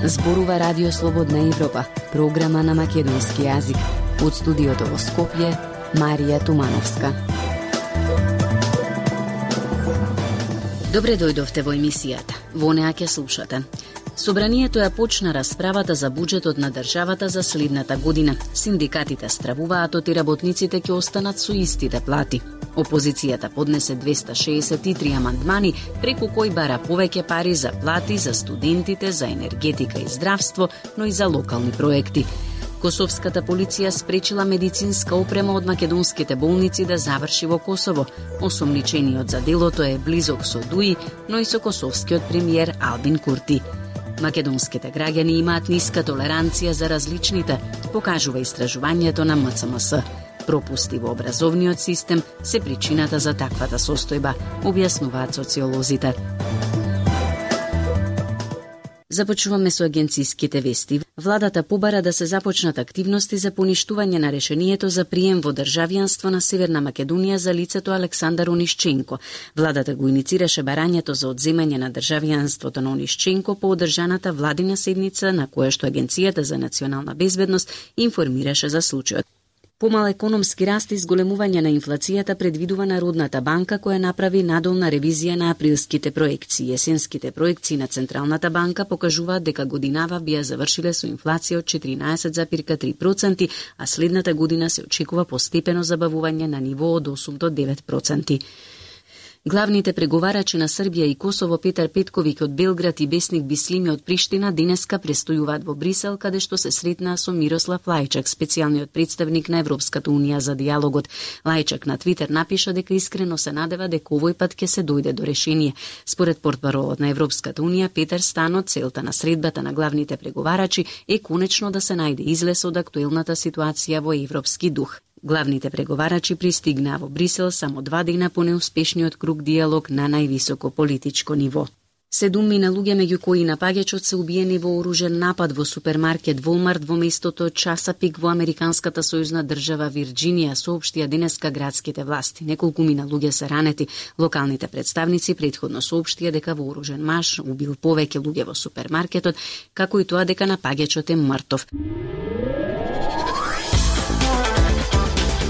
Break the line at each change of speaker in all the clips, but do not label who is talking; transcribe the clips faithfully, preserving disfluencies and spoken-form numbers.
Зборува Радио Слободна Европа, програма на македонски јазик. Од студиото во Скопје, Марија Тумановска. Добре дојдовте во емисијата. Во неа ќе слушате. Собранието ја почна расправата за буџетот на државата за следната година. Синдикатите стравуваат од и работниците ќе останат со истите плати. Опозицијата поднесе двеста шеесет и три амандмани, преку кои бара повеќе пари за плати за студентите, за енергетика и здравство, но и за локални проекти. Косовската полиција спречила медицинска опрема од македонските болници да заврши во Косово. Осомничениот за делото е близок со ДУИ, но и со косовскиот премиер Албин Курти. Македонските граѓани имаат ниска толеранција за различните, покажува истражувањето на М Ц М С. Пропусти во образовниот систем се причината за таквата состојба, објаснуваат социолозите. Започнуваме со агенциските вести. Владата побара да се започнат активности за поништување на решението за прием во државјанство на Северна Македонија за лицето Александар Онишченко. Владата го иницираше барањето за одземање на државјанството на Онишченко по одржаната владина седница на која што Агенцијата за национална безбедност информираше за случајот. Помал економски раст и зголемување на инфлацијата предвидува Народната банка, која направи надолна ревизија на априлските проекции. Есенските проекции на Централната банка покажуваат дека годинава бија завршиле со инфлација од четиринаесет зарез три проценти, а следната година се очекува постепено забавување на ниво од осум до девет проценти. Главните преговарачи на Србија и Косово Петар Петковиќ од Белград и Бесник Бислими од Приштина денеска престојуваат во Брисел, каде што се сретнаа со Мирослав Лајчак, специјалниот представник на Европската унија за диалогот. Лајчак на Твитер напиша дека искрено се надева дека овој пат ќе се дојде до решение. Според портпаролот на Европската унија Петар Станот, целта на средбата на главните преговарачи е конечно да се најде излез од актуелната ситуација во европски дух. Главните преговарачи пристигнаа во Брисел само два дена по неуспешниот круг диалог на највисоко политичко ниво. Седумина луѓе, меѓу кои напаѓачот се убиени во оружен напад во супермаркет Волмарт во местото Часапик во американската сојузна држава Вирџинија, соопштија денеска градските власти. Неколку мина луѓе се ранети. Локалните представници претходно соопштија дека вооружен маж убил повеќе луѓе во супермаркетот, како и тоа дека напаѓачот е мртов.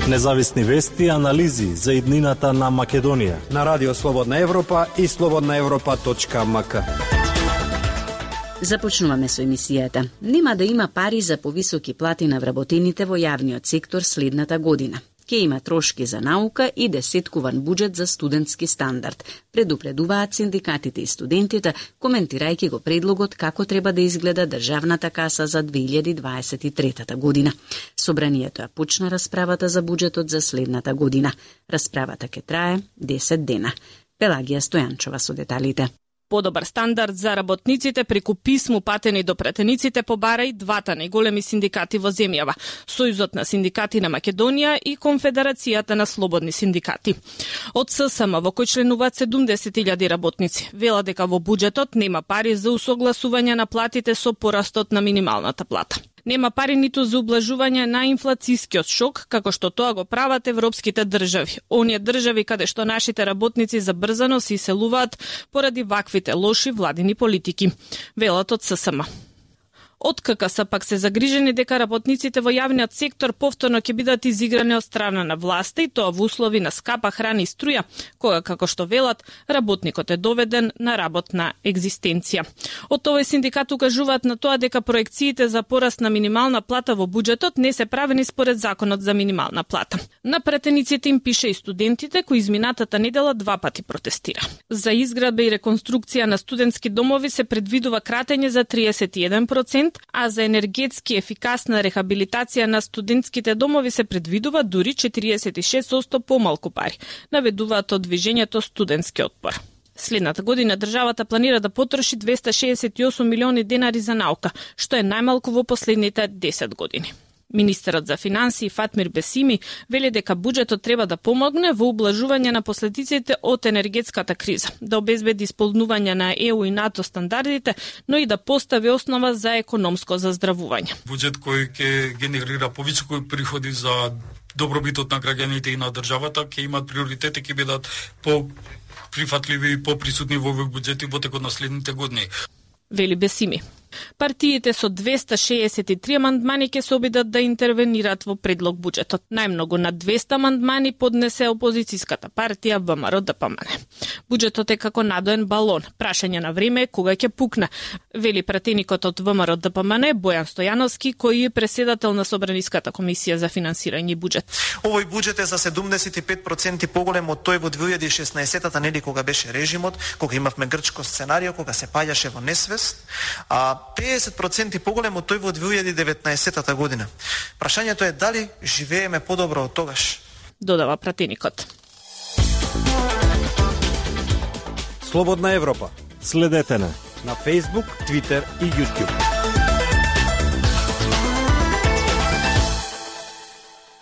Независни вести и анализи за иднината на Македонија
на Радио Слободна Европа и слободна европа точка м к.
Започнуваме со емисијата. Нема да има пари за повисоки плати на вработените во јавниот сектор следната година. Ке има трошки за наука и десеткуван буџет за студентски стандард, предупредуваат синдикатите и студентите, коментирајќи го предлогот како треба да изгледа државната каса за две илјади дваесет и трета година. Собранието ја почна расправата за буџетот за следната година. Расправата ќе трае десет дена. Пелагија Стојанчова со деталите.
Подобар стандард за работниците преку писмо патени до претениците побара и двата најголеми синдикати во земјава, Сојузот на синдикати на Македонија и Конфедерацијата на слободни синдикати. Од С С М во кој членуваат седумдесет илјади работници, вела дека во буџетот нема пари за усогласување на платите со порастот на минималната плата. Нема пари ниту за ублажување на инфлацискиот шок, како што тоа го прават европските држави. Оние држави каде што нашите работници забрзано се иселуваат поради ваквите лоши владини политики, велат од С С М. Од К К С пак се загрижени дека работниците во јавниот сектор повторно ќе бидат изиграни од страна на власта и тоа во услови на скапа храна и струја, кога, како што велат, работникот е доведен на работна екзистенција. Од овој синдикат укажуваат на тоа дека проекциите за пораст на минимална плата во буџетот не се правени според законот за минимална плата. На претениците им пише и студентите кои изминатата недела два пати протестира. За изградба и реконструкција на студентски домови се предвидува кратење за триесет и еден процент, а за енергетски ефикасна рехабилитација на студентските домови се предвидува дури четириесет и шест проценти помалку пари, наведуваат од движењето Студентски отпор. Следната година државата планира да потроши двеста шеесет и осум милиони денари за наука, што е најмалку во последните десет години. Министерот за финансии Фатмир Бесими вели дека буџетот треба да помогне во ублажување на последиците од енергетската криза, да обезбеди исполнување на Е У и НАТО стандардите, но и да постави основа за економско заздравување.
Буџет кој ќе генерира повисоки приходи за добробитот на граѓаните и на државата, ќе имат приоритети, ќе бидат по прифатливи и поприсутни во овој буџет во текот на следните години.
Вели Бесими. Партиите со двеста шеесет и три амандмани ќе се обидат да интервенираат во предлог буџетот. Најмногу на двеста амандмани поднесе опозицијската партија ВМРО-ДПМН. Буџетот е како надоен балон. Прашање на време кога ќе пукне, вели пратеникот од ВМРО-ДПМН Бојан Стојановски, кој е преседател на Собраниската комисија за финансирање и буџет.
Овој буџет е за седумдесет и пет проценти поголем од тој во две илјади и шеснаесетта, нели кога беше режимот, кога имавме грчко сценарио, кога се паѓаше во несвест, а педесет проценти поголем од тој во две илјади и деветнаесетта година. Прашањето е дали живееме подобро од тогаш,
додава пратеникот.
Слободна Европа.
Следете на
на Facebook, Twitter и YouTube.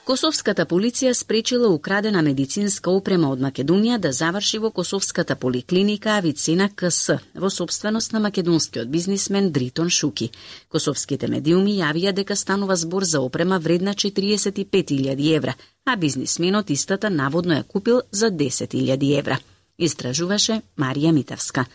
Косовската полиција спречила украдена медицинска опрема од Македонија да заврши во Косовската поликлиника Авицена КС, во собственост на македонскиот бизнисмен Дритон Шуки. Косовските медиуми јавија дека станува збор за опрема вредна четириесет и пет илјади евра, а бизнисменот истата наводно ја купил за десет илјади евра. Истражуваше Марија Митевска.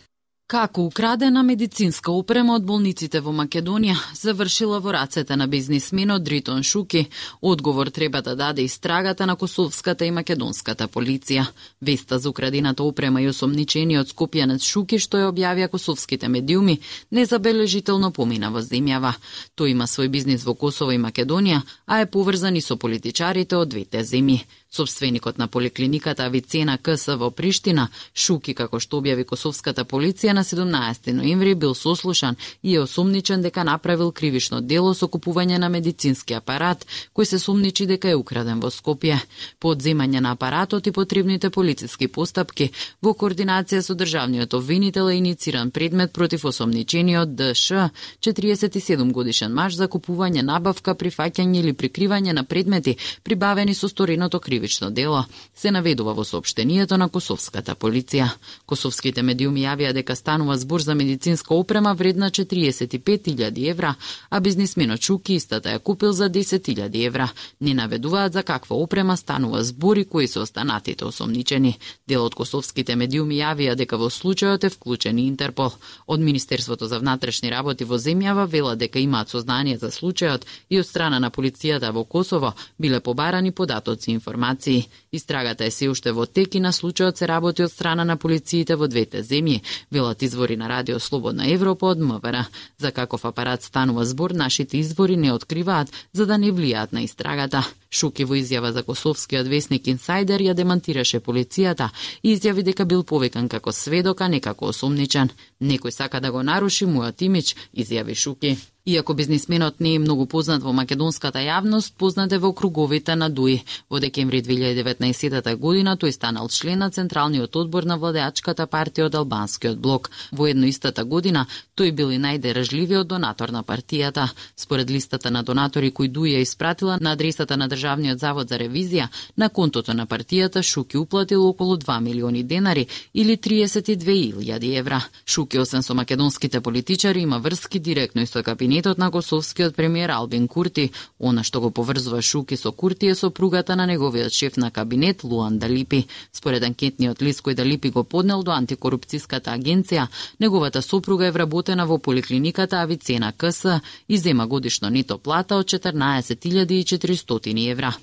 Како украдена медицинска опрема од болниците во Македонија завршила во рацете на бизнисменот Дритон Шуки, одговор треба да даде истрагата на косовската и македонската полиција. Веста за украдената опрема и осомничениот скопјанец Шуки, што ја објавија косовските медиуми, незабележително помина во земјава. Тој има свој бизнис во Косово и Македонија, а е поврзан и со политичарите од двете земји. Собственикот на поликлиниката Авицена КС во Приштина, Шуки, како што објави косовската полиција, на седумнаесети ноември бил сослушан и е осумничен дека направил кривишно дело со купување на медицински апарат, кој се сумничи дека е украден во Скопје. По одземање на апаратот и потребните полициски постапки, во координација со државниот обвинител е инициран предмет против осомничениот ДШ, четириесет и седум годишен маж, за купување, набавка, прифаќање или прикривање на предмети прибавени со стореното кривично дело, се наведува во соопштението на косовската полиција. Косовските медиуми јавија дека станува збор за медицинска опрема вредна четириесет и пет илјади евра, а бизнисменот Шуки истата ја купил за десет илјади евра. Не наведуваат за каква опрема станува збор и кои се останатите осомничени. Дел од косовските медиуми јавија дека во случајот е вклучен и Интерпол. Од Министерството за внатрешни работи во земјава вела дека имаат сознание за случајот и од страна на полицијата во Косово биле побарани податоци и информации. Истрагата е се уште во тек и на случајот се работи од страна на полициите во двете земји, велат извори на Радио Слободна Европа од МВР. За каков апарат станува збор, нашите извори не откриваат, за да не влијаат на истрагата. Шуки во изјава за косовскиот весник Инсайдер ја демантираше полицијата и изјави дека бил повикан како сведок, а не како осумничен. Некој сака да го наруши мојот имидж, изјави Шуки. Иако бизнисменот не е многу познат во македонската јавност, познат е во круговите на ДУИ. Во декември две илјади и деветнаесетта година тој станал член на Централниот одбор на владеачката партија од Албанскиот блок. Во едно истата година тој бил и најдержливиот донатор на партијата. Според листата на донатори кои ДУИ ја испратила на адресата на Државниот завод за ревизија, на контото на партијата Шуки уплатил околу два милиони денари или триесет и две илјади евра. Шуки, освен со македонските политичари, има врски директно и со кабинетот на косовскиот премиер Албин Курти. Она што го поврзува Шуки со Курти е сопругата на неговиот шеф на кабинет Луан Далипи. Според анкетниот лист кој Далипи го поднел до антикорупцијската агенција, неговата сопруга е вработена во поликлиниката Авицена КС и зема годишно нето плата од четрнаесет илјади и четиристотини евра.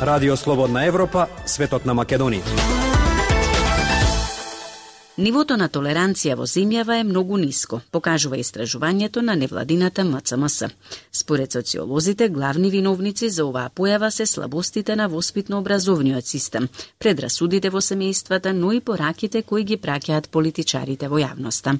Радио Слободна Европа, светот на Македонија.
Нивото на толеранција во земјава е многу ниско, покажува истражувањето на невладината М Ц М С. Според социолозите, главни виновници за оваа појава се слабостите на воспитно-образовниот систем, предрасудите во семејствата, но и пораките кои ги праќаат политичарите во јавноста.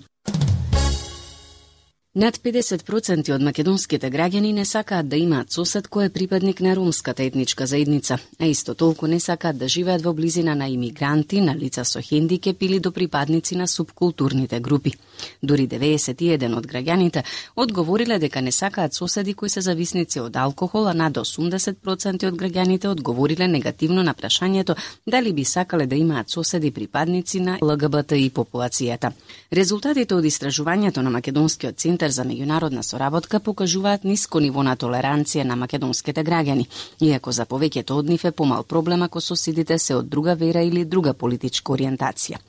Над педесет проценти од македонските граѓани не сакаат да имаат сосед кој е припадник на ромската етничка заедница, а исто толку не сакаат да живеат во близина на имигранти, на лица со хендикеп или до припадници на субкултурните групи. Дури деветдесет и еден од граѓаните одговориле дека не сакаат соседи кои се зависници од алкохол, а над осумдесет проценти од граѓаните одговориле негативно на прашањето дали би сакале да имаат соседи припадници на Л Г Б Т И популацијата. Резултатите од истражувањето на Македонскиот центар Центар за меѓународна соработка покажуваат ниско ниво на толеранција на македонските граѓани, иако за повеќето од нив е помал проблем ако соседите се од друга вера или друга политичка ориентација.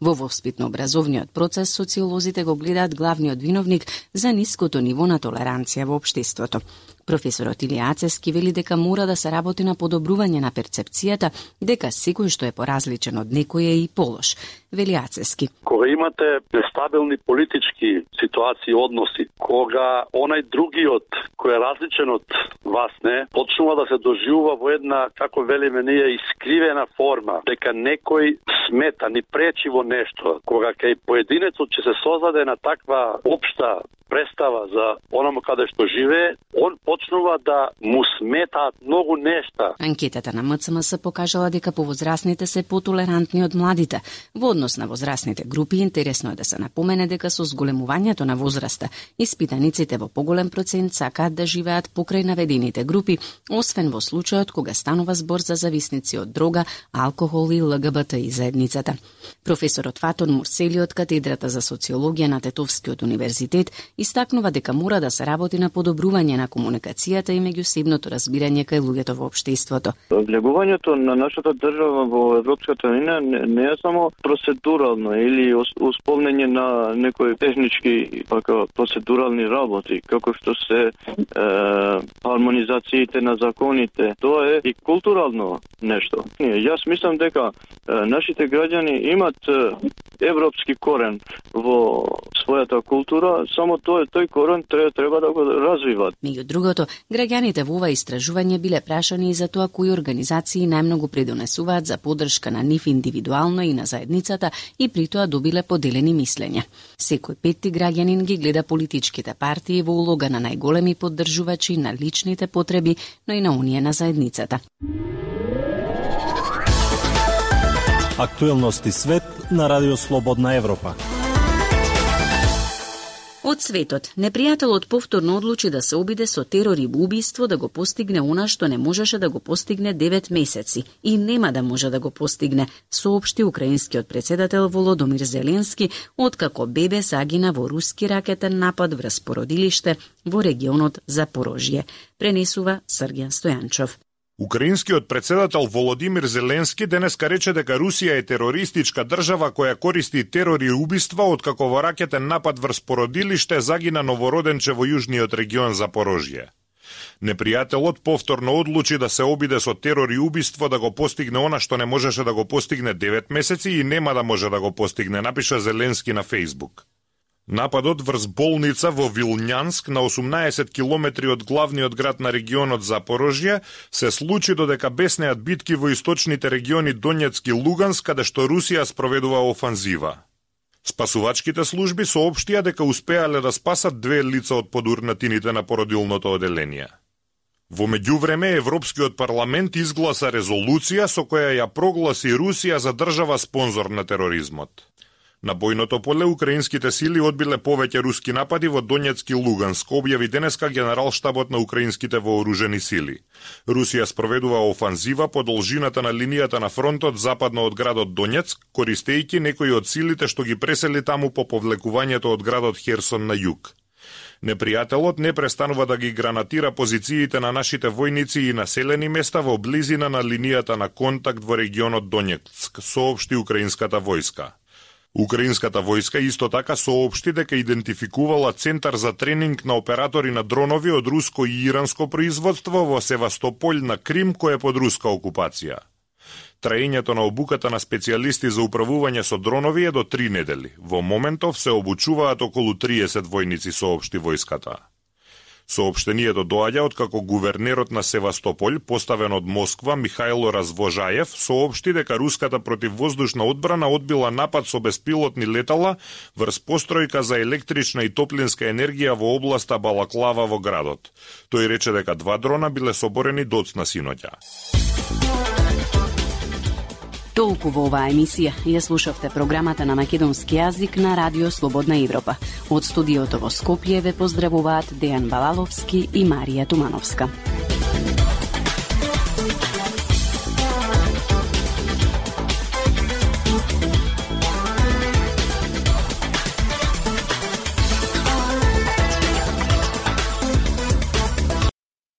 Во воспитно-образовниот процес социолозите го гледаат главниот виновник за ниското ниво на толеранција во општеството. Професорот Илија Ацевски вели дека мора да се работи на подобрување на перцепцијата дека секој што е поразличен од некој е и полош. Вели Ацевски.
Кога имате нестабилни политички ситуации, односи, кога онај другиот кој е различен од вас не, почнува да се доживува во една, како велиме ние, искривена форма, дека некој смета, ни пречи во нешто, кога кај поединецот ќе се создаде на таква општа представа за онома каде што живее, он почнува да му сметаат многу нешта.
Анкетата на МЦМС покажала дека повозрасните се потолерантни од младите. Во однос на возрастните групи, интересно е да се напомене дека со зголемувањето на возраста, испитаниците во поголем процент сакаат да живеат покрај наведените групи, освен во случајот кога станува збор за зависници од дрога, алкохол и ЛГБТ и заедницата. Професорот Фатон Мурсели од катедрата за социологија на Тетовскиот универзитет истакнува дека мора да се работи на подобрување на комуникацијата и меѓусебното разбирање кај луѓето во општеството.
Влегувањето на нашата држава во Европската унија не, не е само процедурално или исполнење на некои технички пака процедурални работи, како што се е, хармонизациите на законите. Тоа е и културално нешто. Јас мислам дека е, нашите граѓани имат е, европски корен во својата култура, само тој тој корен треба, треба да го развиват.
Меѓу другото, граѓаните во ова истражување биле прашани и за тоа кои организации најмногу придонесуваат за поддршка на нив индивидуално и на заедницата и при тоа добиле поделени мислења. Секој петти граѓанин ги гледа политичките партии во улога на најголеми поддржувачи на личните потреби, но и на оние на заедницата.
Актуелности свет на Радио Слободна Европа.
Од светот, непријателот повторно одлучи да се обиде со терор и убиство да го постигне она што не можеше да го постигне девет месеци и нема да може да го постигне, соопшти украинскиот претседател Володомир Зеленски, откако бебе загина во руски ракетен напад врз породилиште во регионот Запорожје, пренесува Сргјан Стојанчов.
Украинскиот претседател Володимир Зеленски денеска рече дека Русија е терористичка држава која користи терор и убиства откако во ракетен напад врз породилиште загина новороденче во јужниот регион Запорожје. Непријателот повторно одлучи да се обиде со терор и убиство да го постигне она што не можеше да го постигне девет месеци и нема да може да го постигне, напиша Зеленски на Фејсбук. Нападот врз болница во Вилњанск на осумнаесет километри од главниот град на регионот Запорожје се случи додека беснеат битки во источните региони Донецк и Луганск, каде што Русија спроведува офанзива. Спасувачките служби соопштија дека успеале да спасат две лица од подурнатините на породилното оделение. Во меѓувреме, Европскиот парламент изгласа резолуција со која ја прогласи Русија за држава спонзор на тероризмот. На бојното поле украинските сили одбиле повеќе руски напади во Донецк и Луганск, објави денеска генералштабот на украинските вооружени сили. Русија спроведува офанзива по должината на линијата на фронтот западно од градот Донецк, користејќи некои од силите што ги пресели таму по повлекувањето од градот Херсон на југ. Непријателот не престанува да ги гранатира позициите на нашите војници и населени места во близина на линијата на контакт во регионот Донецк, соопшти украинската војска. Украинската војска исто така соопшти дека идентификувала центар за тренинг на оператори на дронови од руско и иранско производство во Севастополј на Крим, кој е под руска окупација. Траењето на обуката на специјалисти за управување со дронови е до три недели. Во моментов се обучуваат околу триесет војници, соопшти војската. Соопштението доаѓа откако гувернерот на Севастополј, поставен од Москва, Михајло Развожаев, соопшти дека руската противвоздушна одбрана одбила напад со беспилотни летала врз постројка за електрична и топлинска енергија во областа Балаклава во градот. Тој рече дека два дрона биле соборени доцна синоќа.
Толку во оваа емисија. Ја слушавте програмата на македонски јазик на Радио Слободна Европа. Од студиото во Скопје ве поздравуваат Дејан Балаловски и Марија Тумановска.